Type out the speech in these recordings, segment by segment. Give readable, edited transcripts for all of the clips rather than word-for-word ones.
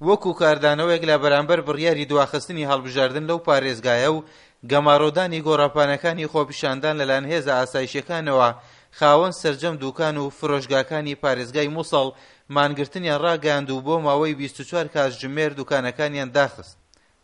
وەکو کاردانەوەیەک لە بەرامبەر بڕیاری دواخستنی هەڵبژاردن لەو پارێزگایە و گەمارۆدانی گۆڕەپانەکانی خۆپیشاندان لەلایەن هێزە ئاسایشیەکانەوە خاوەن سەرجەم دوکان و فرۆشگاکانی پارێزگای موسڵ مانگرتنیان ڕاگەیاند و بۆ ماوەی 24 کاتژمێر دوکانەکانیان داخست.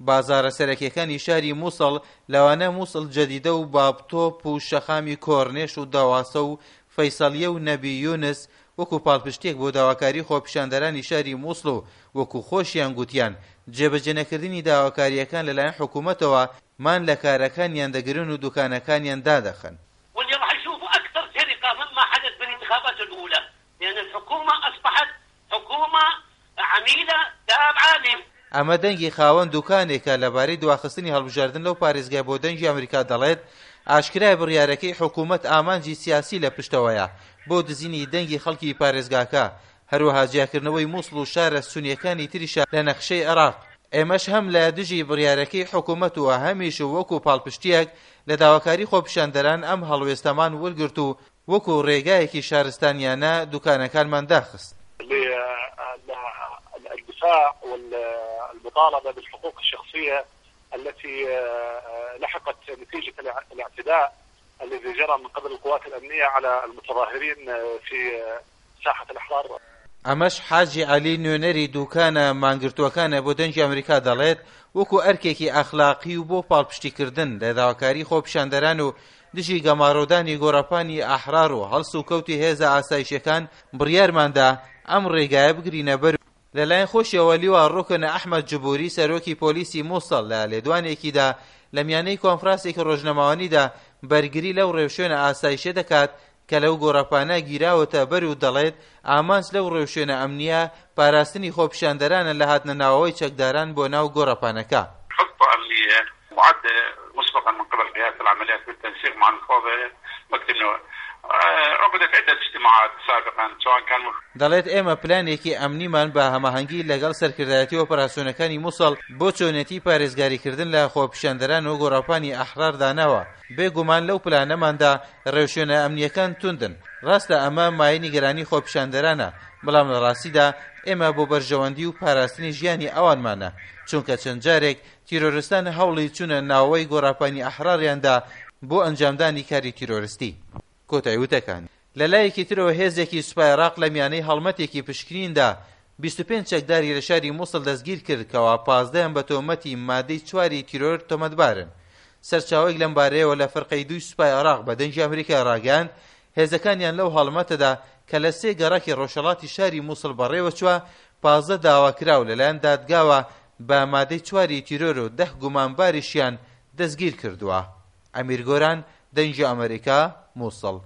بازاڕە سەرەکیەکانی شاری موسڵ لەوانە موسڵ جەدیدە و باب تۆپ و شەقامی کۆرنێش و دەواسە و فەیسەڵیە و نەبی یونس وەکو پاڵپشتیەک بۆ داواکاری خۆپیشاندەرانی شاری موسڵ و وەکو خۆشیان گوتیان جێبەجێنەکردنی داواکارییەکان لەلایەن حکومەتەوە مان لە کارەکانیان دەگرن و دوکانەکانیان دادەخەن. واللي راح يشوفوا أكثر سرقة مما حدث بالانتخابات الأولى لأن الحكومة أصبحت حكومة عميلة تابعة ل. ئەمە دەنگی خاوەن دوکانێکە لەبارەی دواخستنی هەڵبژاردن لەو پارێزگای بۆ دەنگی ئەمریکا دەڵێت، ئاشکرایە بڕیارەکەی حکومەت ئامانجی سیاسی لە پشتەوەیە بۆ دزینی دەنگی خەڵکی پارێزگاکە، هەروەها جیاکردنەوەی موسڵ و شارە سونییەکانی تریشە لە نەخشەی عێراق. ئێمەش هەم لە دژی بڕیارەکەی حکومەت و هەمیش وەکو پاڵپشتییەک لە داواکاری خۆپیشاندەران ئەم هەڵوێستەمان ورگرت و وەکو ڕێگایەکی شارستانیانە دوکانەکانمان داخست. للدفاع والمطالبة بالحقوق الشخصية التي لحقت نتيجة الاعتداء الذي جرى من قبل القوات الأمنية على المتظاهرين في ساحة الأحرار. ئەمەش حاجی عەلی نوێنەری دوکانە مانگرتووەکانە بۆ دەنگی ئەمریکا دەڵێت وەکو ئەرکێکی ئەخلاقی و بۆ پاڵپشتیکردن لە داواکاری خۆپیشاندەران و دژی گەمارۆدانی گۆڕەپانی ئەحرار و هەڵسوکەوتی هێزە ئاسایشیەکان بڕیارماندا ئەم ڕێگایە بگرینە بەر و لەلایەن خۆشیەوە لیوا ڕوکن ئەحمەد جبوری سەرۆکی پۆلیسی موسڵ لە لێدوانێکیدا لە میانەی کۆنفراسێکی ڕۆژنامەوانیدا بەرگری لەو ڕێوشوێنە ئاسایشیە دەکات کە لەو گۆڕەپانە گیراوەتە بەر و دەڵێت ئامانج لەو ڕێوشوێنە ئەمنییە پاراستنی خۆپیشاندەرانە لە هاتنە ناوەوەی چەکداران بۆ ناو گۆڕەپانەکە. خطە امنیە معدە مسبقا من قبل قيادة العمليات بالتنسيق مع المفوضية مكتب نوع عقدت عدة اجتماعات سابقا سواء كان. دەڵێت ئێمە پلانێکی ئەمنیمان بە هەماهەنگی لەگەڵ سەرکردایەتی ئۆپەراسیۆنەکانی موسڵ بۆ چۆنێتی پارێزگاریکردن لە خۆپیشاندەران و گۆڕەپانی ئەحرار داناوە، بێ گومان لەو پلانەماندا ڕێوشوێنە ئەمنییەکان توندن، ڕاستە ئەمە مایەی نیگەرانی خۆپیشاندەرانە، بەڵام لە ڕاستیدا ئێمە بۆ بەرژەوەندی و پاراستنی ژیانی ئەوانمانە، چونکە چەند جارێک تیرۆرستان هەوڵی چوونە ناوەوەی گۆڕاپانی ئەحراریان دا بۆ ئەنجامدانی کاری تیرۆرستی. کۆتای وتەکانی. لە لایەکی ترەوە هێزێکی سوپای عێراق لە میانەی هەڵمەتێکی پشکنیندا 25 چەکداری لە شاری موسڵ دەستگیر کرد کەوا پازدەیان بە تۆمەتی مادەی چواری تیرۆر تۆمەتبارن. سەرچاوەیەک لەمبارەیەوە لە فرقەی دووی سوپای عێراق بە دەنگی ئەمریکای ڕاگەیاند هێزەکانیان لەو هەڵمەتەدا کە لە سێ گەڕەکی ڕۆژهەڵاتی شاری موسڵ بەڕێوەچووە 15 داواکراو لەلایەن دادگاوە بە مادەی چواری تیرۆر و دە گومانباریشیان دەستگیر کردووە. ئەمیر گۆران، دەنگی ئەمەریکا، موسڵ.